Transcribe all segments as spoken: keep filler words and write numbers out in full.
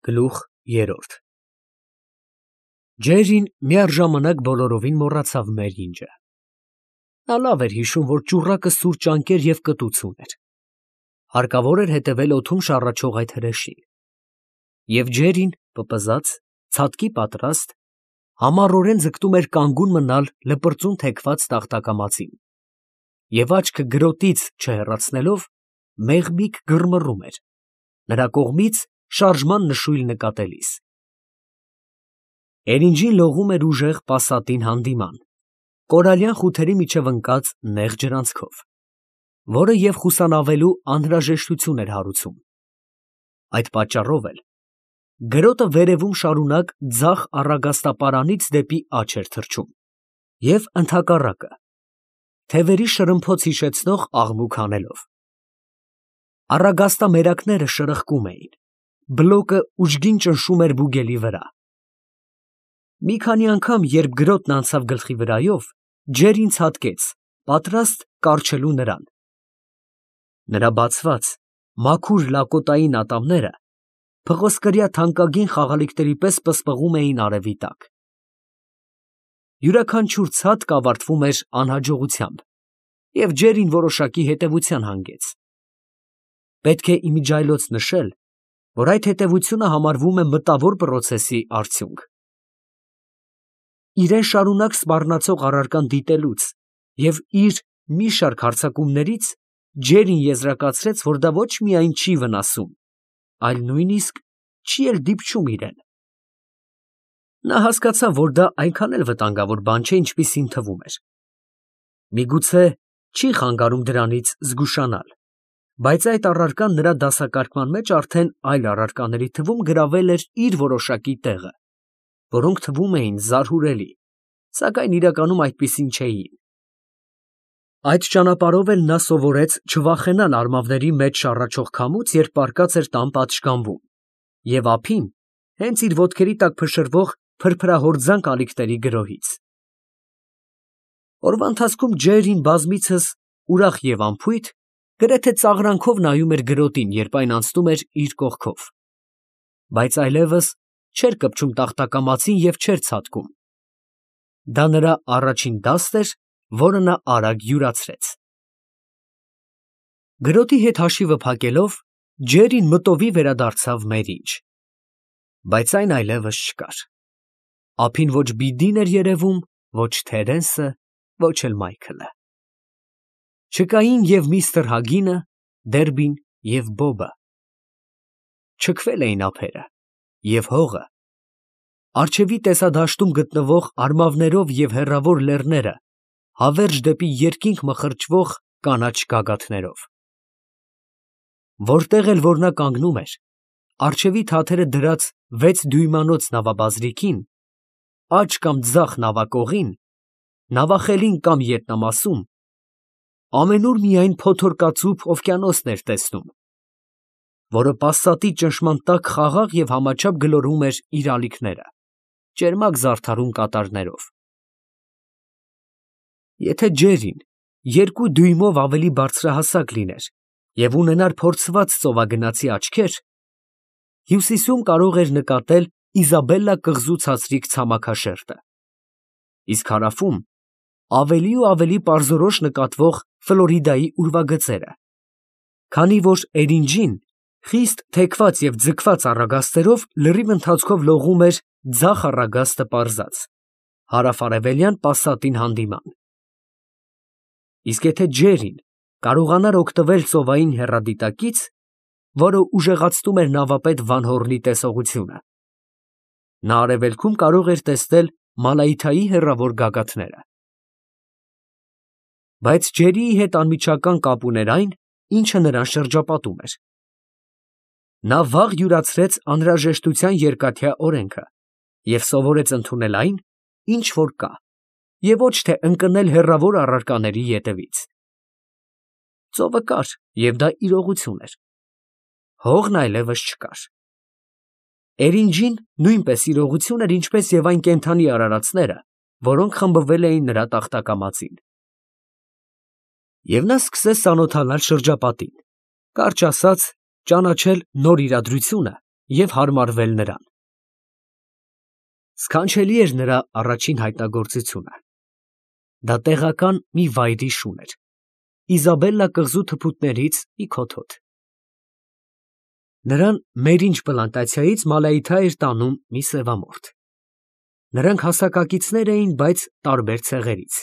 Գլուխ երրորդ Ջերրին միառժամանակ բոլորովին մոռացավ Մերինջը. նա լավ էր հիշում, որ ճուռակը սուր ճանկեր և կտուց ուներ. հարկավոր էր հետևել օդում շառաչող այդ հրեշին. և Ջերրին, պպզած, ցատկի պատրաստ, համառորեն ձգտում էր կանգուն մնալ լպրծուն թեքված տախտակամածին և աչքը գրոտից չհեռացնելով, մեղմիկ գրմռում էր, նրա կողմից շարժման նշույլ նկատելիս։ Էրինջին լողում էր ուժեղ պասատին հանդիման, կորալյան խութերի միջև ընկած նեղ ջրանցքով, որը և խուսանավելու անհրաժեշտություն էր հարուցում։ Այդ պատճառով էլ գրոտը վերևում շարունակ ձախ առագաստապարանից դեպի աջ էր թռչում և ընդհակառակը, թևերի շրմփոց հիշեցնող աղմուկ հանելով։ Առագաստամերակները շրխկում էին, բլոկը ուժգին ճնշում էր բուգելի վրա։ Մի քանի անգամ, երբ գրոտն անցավ գլխի վրայով, Ջերրին ցատկեց, պատրաստ կառչելու նրան։ Նրա բացված, մաքուր լակոտային ատամները փղոսկրյա թանկագին խաղալիքների պես պսպղում էին արևի տակ։ Յուրաքանչյուր ցատկ ավարտվում էր անհաջողությամբ, և Ջերրին որոշակի հետևության հանգեց։ Պետք է իմիջիայլոց նշել, որ այդ հետևությունը համարվում է մտավոր պրոցեսի արդյունք։ Իրան շարունակ սպառնացող առարկան դիտելուց և իր մի շարք հարձակումներից Ջերրին եզրակացրեց, որ դա ոչ միայն չի վնասում, այլ նույնիսկ չի էլ դիպչում իրան։ Նա հասկացավ, որ դա այնքան էլ վտանգավոր բան չէ, ինչպիսին թվում էր։ Միգուցե չի խանգարում դրանից զգուշանալ, բայց այդ առարկան նրա դասակարգման մեջ արդեն այլ առարկաների թվում գրավել էր իր որոշակի տեղը, որոնք թվում էին զարհուրելի, սակայն իրականում այդպիսին չէին։ Այդ ճանապարհով էլ նա սովորեց չվախենալ արմավների մեջ շառաչող քամուց, երբ պառկած էր տան պատշգամբում, և ափին, հենց իր ոտքերի տակ փշրվող փրփրահորձանք ալիքների գրոհից։ Օրվա ընթացքում Ջերրին բազմիցս ուրախ և անփույթ, գրեթե ծաղրանքով նայում էր գրոտին, երբ այն անցնում էր իր կողքով, բայց այլևս չէր կպչում տախտակամածին և չէր ցատկում։ Դա նրա առաջին դասն էր, որը նա արագ յուրացրեց։ Գրոտի հետ հաշիվը փակելով, Ջերրին մտովի վերադարձավ Մերինջ, բայց այն այլևս չկար։ Ափին ոչ Բիդին էր երևում, ոչ Թերենսը, ոչ էլ Մայքլը։ Չկային և միստր Հագինը, Դերբին և Բոբը։ Չքվել էին ափերը, և հողը, առջևի տեսադաշտում գտնվող արմավներով և հեռավոր լեռները հավերժ դեպի երկինք մխրճվող կանաչ գագաթներով։ Որտեղ էլ որ նա կանգնում էր, առջևի թաթերը դրած վեցդյույմանոց նավաբազրիկին, աջ կամ ձախ նավակողին, նավախելին կամ ետնամասում, ամենուր միայն փոթորկածուփ օվկիանոսն էր տեսնում, որը պասատի ճնշման տակ խաղաղ և համաչափ գլորում էր իր ալիքները, ճերմակ զարդարուն կատարներով։ Եթե Ջերրին երկու դյույմով ավելի բարձրահասակ լիներ և ունենար փորձված ծովագնացի աչքեր, հյուսիսում կարող էր նկատել Իզաբելլա կղզու ցածրիկ ցամաքաշերտը, իսկ հարավում ավելի ու ավելի պարզորոշ նկատվող Ֆլորիդայի ուրվագծերը, քանի որ Էրինջին խիստ թեքված և ձգված առագաստերով լրիվ ընթացքով լողում էր ձախ առագաստը պարզած, հարավ֊արևելյան պասատին հանդիման։ Իսկ եթե Ջերրին կարողանար օգտվել ծովային հեռադիտակից, որը ուժեղացնում էր նավապետ Վան տեսողությունը, նա արևելքում կարող էր տեսնել Մալայթայի հեռավոր գագաթները։ Բայց Ջերրիի հետ անմիջական կապ ուներ այն, ինչը նրան շրջապատում էր։ Նա վաղ յուրացրեց անհրաժեշտության երկաթյա օրենքը և սովորեց ընդունել այն, ինչ որ կա, և ոչ թե ընկնել հեռավոր առարկաների ետևից։ Ծովը կար, և դա իրողություն էր։ Հողն այլևս չկար։ Էրինջին նույնպես իրողություն էր, ինչպես և այն կենդանի արարածները, որոնք խմբվել էին նրա տախտակամածին։ Եվ նա սկսեց ծանոթանալ շրջապատին, կարճ ասած, ճանաչել նոր իրադրությունը և հարմարվել նրան։ Սքանչելի էր նրա առաջին հայտնագործությունը։ Դա տեղական մի վայրի շուն էր, Իզաբելլա կղզու թփուտներից մի քոթոտ։ Նրան Մերինջ պլանտացիայից Մալայիթա էր տանում մի սևամորթ։ Նրանք հասակակիցներ էին, բայց տարբեր ցեղերից։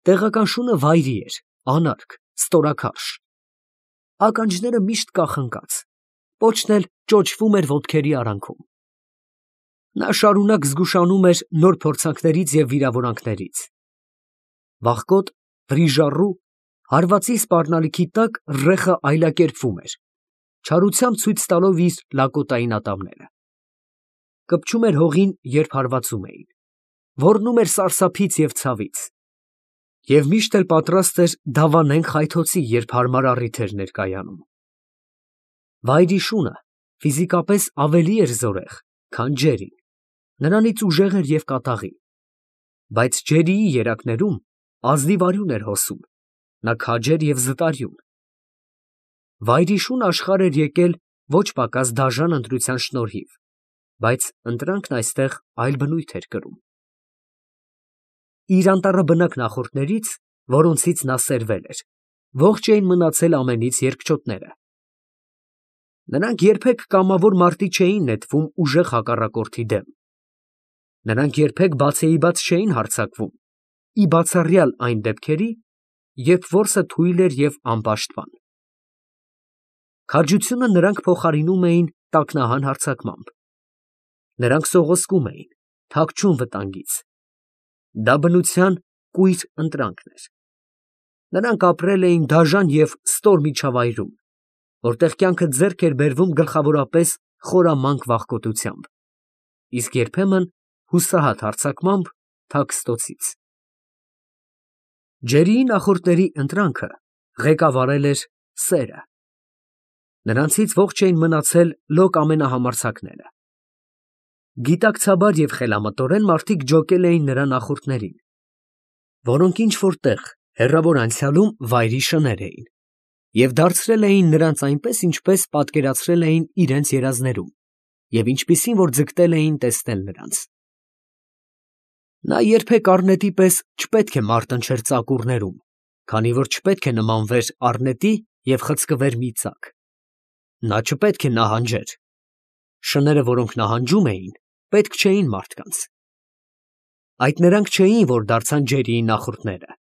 Տեղական շունը վայրի էր, անարգ, ստորաքարշ։ Ականջները միշտ կախնկած, պոչն էլ ճոճվում էր ոտքերի արանքում։ Նա շարունակ զգուշանում էր նոր փորձանքներից և վիրավորանքներից։ Վախկոտ, վրիժառու, հարվածի սպառնալիքի տակ ռեխը այլակերպվում էր, չարությամբ ցույց տալով իր լակոտային ատամները։ Կպչում էր հողին, երբ հարվածում էին, ոռնում էր սարսափից և ցավից, և միշտ էլ պատրաստ էր դավանեն խայթոցի, երբ հարմար առիթ էր ներկայանում։ Վայրի շունը ֆիզիկապես ավելի էր զորեղ, քան ջերին, նրանից ուժեղ էր և կատաղի, բայց ջերիի երակներում ազնիվ արյուն էր հոսում, նա քաջ էր և զտարյուն։ Վայրի շուն աշխարհ էր եկել ոչ պակաս դաժան ընտրության շնորհիվ, բայց ընտրանքն այստեղ այլ բնույթ էր կրում։ Իր անտառաբնակ նախորդներից, որոնցից նա սերվել էր, ողջ էին մնացել ամենից երկչոտները։ Նրանք երբեք կամավոր մարտի չէին նետվում ուժեղ հակառակորդի դեմ։ Նրանք երբեք բացեիբաց չէին հարձակվում, ի բացառյալ այն դեպքերի, երբ որսը թույլ էր և անպաշտպան։ Քաջությունը նրանք փոխարինում էին տակնահան հարձակմամբ։ Նրանք սողոսկում էին, թաքչում վտանգից։ Դա բնության կույր ընտրանքն էր։ Նրանք ապրել էին դաժան և ստոր միջավայրում, որտեղ կյանքը ձեռք էր բերվում գլխավորապես խորամանկ վախկոտությամբ, իսկ երբեմն հուսահատ հարձակմամբ թաքստոցից։ Ջերիի նախորդների ընտրանքը ղեկավարել էր սերը։ Նրանցից ողջ էին մնացել լոկ ամենահամարձակները։ Գիտակցաբար և խելամտորեն մարդիկ ջոկել էին նրա նախորդներին, որոնք ինչ֊որ տեղ, հեռավոր անցյալում վայրի շներ էին, և դարձրել էին նրանց այնպես, ինչպես պատկերացրել էին իրենց երազներում, և ինչպիսին որ ձգտել էին տեսնել նրանց։ Նա երբեք առնետի պես չպետք է մարտնչեր ծակուռներում, քանի որ չպետք է նմանվեր առնետի և խցկվեր մի ծակ։ Նա չպետք է նահանջեր։ Շները, որոնք նահանջում էին, պետք չէին մարդկանց։ Այդ նրանք չէին, որ դարձան ջերիի նախորդները։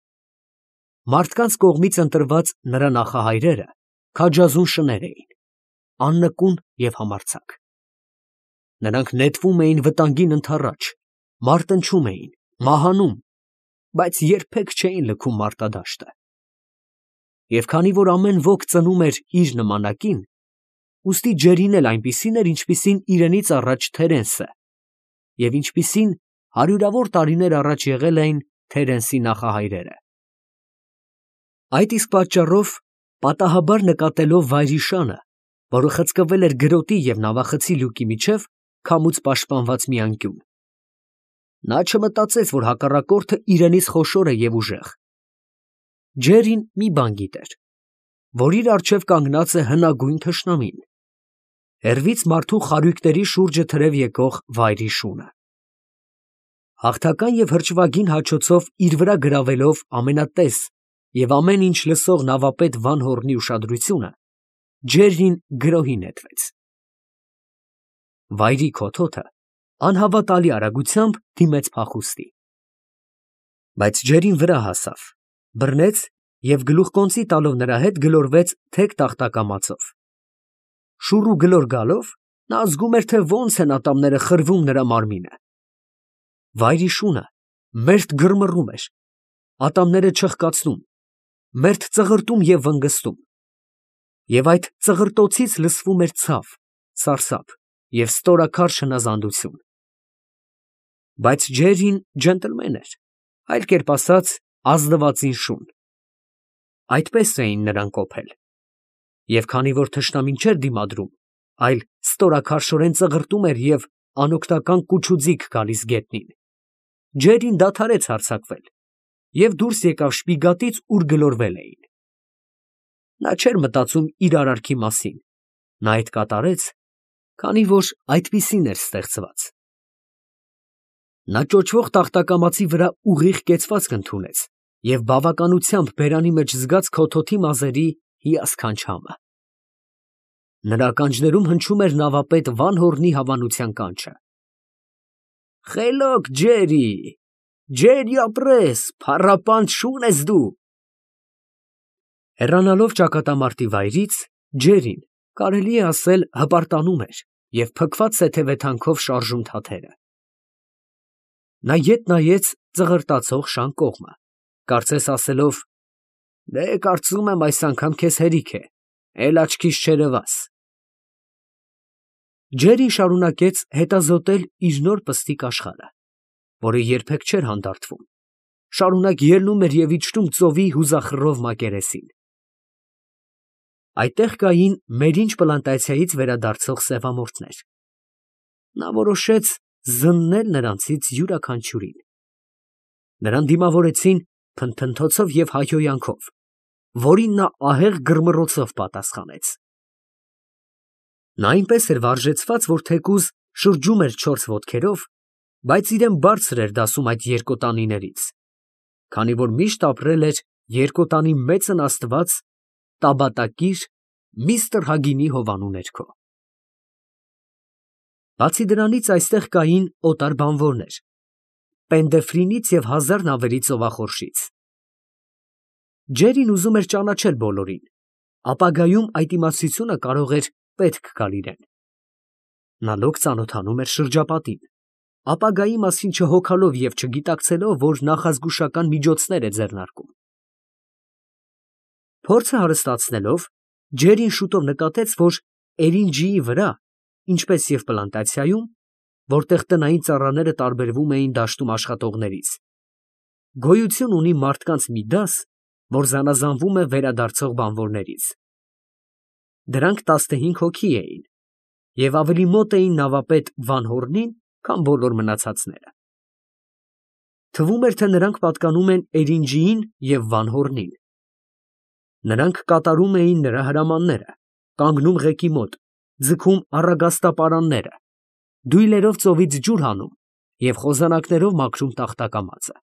Մարդկանց կողմից ընտրված նրա նախահայրերը քաջազուն շներ էին, աննկուն և համարձակ։ Նրանք նետվում էին վտանգին ընդառաջ, մարտնչում էին, մահանում, բայց երբեք չէին լքում մարտադաշտը։ Եվ քանի որ ամեն ոք ծնում էր իր նմանակին, ուստի ջերին էլ այնպիսին էր, ինչպիսին իրենից առաջ Թերենսը, և ինչպիսին հարյուրավոր տարիներ առաջ եղել էին Թերենսի նախահայրերը։ Այդ իսկ պատճառով, պատահաբար նկատելով վայրի շանը, որը խցկվել էր գրոտի և նավախցի լյուկի միջև, քամուց պաշտպանված մի անկյուն, նա չմտածեց, որ հակառակորդը իրենից խոշոր է և ուժեղ։ Ջերին մի բան գիտեր, որ իր առջև կանգնած է հնագույն թշնամին, հեռվից մարդու խարույկների շուրջը թրև եկող վայրի շունը։ Հաղթական և հրճվագին հաչոցով իր վրա գրավելով ամենատես և ամեն ինչ լսող նավապետ Վանհոռնի ուշադրությունը, ջերին գրոհի նետվեց։ Վայրի քոթոթը անհավատալի արագությամբ դիմեց փախուստի։ Բայց ջերին վրա հասավ, բռնեց և գլուխկոնծի տալով նրա հետ գլորվեց թեք տախտակամածով։ Շուռ ու գլոր գալով, նա զգում էր, թե ոնց են ատամները խրվում նրա մարմինը։ Վայրի շունը մերթ գրմռում էր, ատամները չխկացնում, մերթ ծղրտում և վնգստում, և այդ ծղրտոցից լսվում էր ցավ, սարսափ և ստորաքարշ հնազանդություն։ Բայց ջերին ջենտլմեն էր, այլ կերպ ասած, ազնվածին շուն։ Այդպես էին նրան կոփել։ Եվ քանի որ թշնամին չէր դիմադրում, այլ ստորաքարշորեն ծղրտում էր և անօգնական կուչ ու ձիգ գալիս գետնին, ջերին դադարեց հարձակվել և դուրս եկավ շպիգատից, ուր գլորվել էին։ Նա չէր մտածում իր արարքի մասին, նա այդ կատարեց, քանի որ այդպիսին էր ստեղծված։ Նա ճոճվող տախտակամածի վրա ուղիղ կեցվածք ընդունեց և բավականությամբ բերանի մեջ զգաց քոթոթի մազերի հիասքանչ համը։ Նրա ականջներում հնչում էր նավապետ Վանհորնի հավանության կանչը. «Խելոք, Ջերի, Ջերի ապրես, փառապանտ շուն ես դու»։ Հեռանալով ճակատամարտի վայրից, Ջերին, կարելի է ասել, հպարտանում էր և փքված թեթևեթանքով շարժում թաթերը։ Նա ետ նայեց ծղրտացող շան կողմը, կարծես ասելով. «Դե, կարծում եմ, այս անգամ քեզ հերիք է, էլ աչքիս չերևաս»։ Ջերին շարունակեց հետազոտել իր նոր պստիկ աշխարհը, որը երբեք չէր հանդարտվում, շարունակ ելնում էր և իջնում ծովի հուզախռով մակերեսին։ Այդտեղ կային մերինջ պլանտացիայից վերադարձող սևամորթներ։ Նա որոշեց զննել նրանցից յուրաքանչյուրին։ Նրան դիմավորեցին փնթփնթոցով և հայհոյանքով, որին նա ահեղ գրմռոցով պատասխանեց։ Նա այնպես էր վարժեցված, որ թեկուզ շրջում էր չորս ոտքերով, բայց իրան բարձր էր դասում այդ երկոտանիներից, քանի որ միշտ ապրել էր երկոտանի մեծն աստված Տաբատակիր միստր Հագինի հովանու ներքո։ Բացի դրանից, այստեղ կային օտար բանվորներ Պենդեֆրինից և հազար նավերի ծովախորշից։ Ջերին ուզում էր ճանաչել բոլորին, ապագայում այդ իմացությունը կարող էր պետք գալ իրան։ Նա լոկ ծանոթանում էր շրջապատին, ապագայի մասին չհոգալով և չգիտակցելով, որ նախազգուշական միջոցներ է ձեռնարկում։ Փորձը հարստացնելով, Ջերին շուտով նկատեց, որ էրինջիի վրա, ինչպես և պլանտացիայում, որտեղ տնային ծառաները տարբերվում էին դաշտում աշխատողներից, գոյություն ունի մարդկանց մի դաս, որ զանազանվում է վերադարձող բանվորներից։ Դրանք տասնհինգ հոգի էին և ավելի մոտ էին նավապետ Վանհորնին, քան բոլոր մնացածները։ Թվում էր, թե նրանք պատկանում են Էրինջիին և Վանհորնին։ Նրանք կատարում էին նրա հրամանները, կանգնում ղեկի մոտ, ձգում առագաստապարանները, դույլերով ծովից ջուր հանում և խոզանակներով մաքրում տախտակամածը։